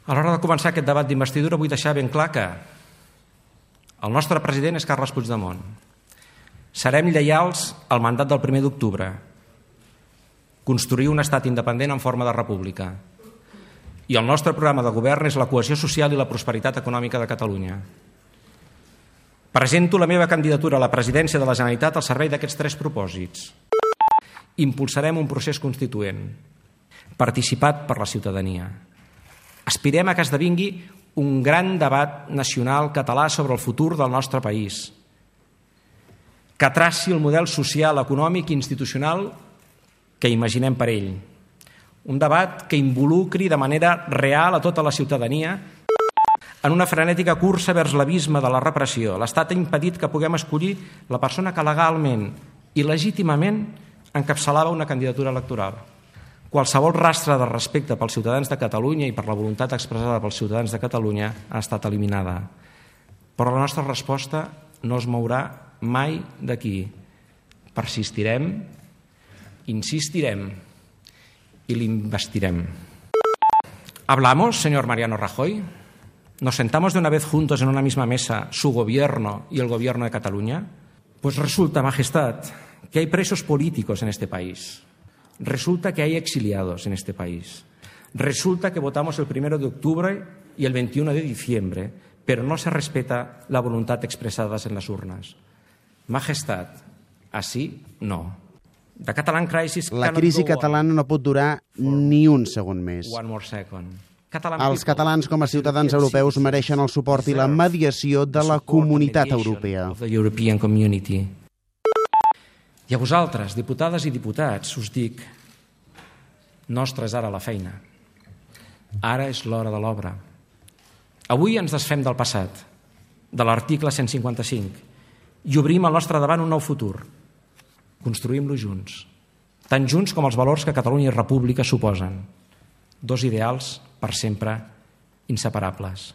A l'hora de començar aquest debat d'investidura vull deixar ben clar que el nostre president és Carles Puigdemont. Serem lleials al mandat del 1 d'octubre, construir un estat independent en forma de república. I el nostre programa de govern és la cohesió social i la prosperitat econòmica de Catalunya. Presento la meva candidatura a la presidència de la Generalitat al servei d'aquests 3 propòsits. Impulsarem un procés constituent, participat per la ciutadania. Aspirem a que esdevingui un gran debat nacional català sobre el futur del nostre país, que traci el model social, econòmic i institucional que imaginem per ell. Un debat que involucri de manera real a tota la ciutadania en una frenètica cursa vers l'abisme de la repressió. L'Estat ha impedit que puguem escollir la persona que legalment i legítimament encapçalava una candidatura electoral. Qualsevol rastre de respecte pels ciutadans de Catalunya i per la voluntat expressada pels ciutadans de Catalunya ha estat eliminada. Però la nostra resposta no es mourà mai d'aquí. Persistirem, insistirem y l'investirem. ¿Hablamos, señor Mariano Rajoy? ¿Nos sentamos de una vez juntos en una misma mesa su gobierno y el gobierno de Cataluña? Pues resulta, Majestad, que hay presos políticos en este país. Resulta que hay exiliados en este país. Resulta que votamos el 1 de octubre y el 21 de diciembre, pero no se respeta la voluntad expresada en las urnas. Majestad, así no. La crisi catalana no pot durar ni un segon més. Els catalans com a ciutadans europeus mereixen el suport i la mediació de la comunitat europea. I a vosaltres, diputades i diputats, us dic, nostra és ara la feina. Ara és l'hora de l'obra. Avui ens desfem del passat, de l'article 155, i obrim al nostre davant un nou futur. Construïm-lo junts, tan junts com els valors que Catalunya i República suposen. 2 ideals per sempre inseparables.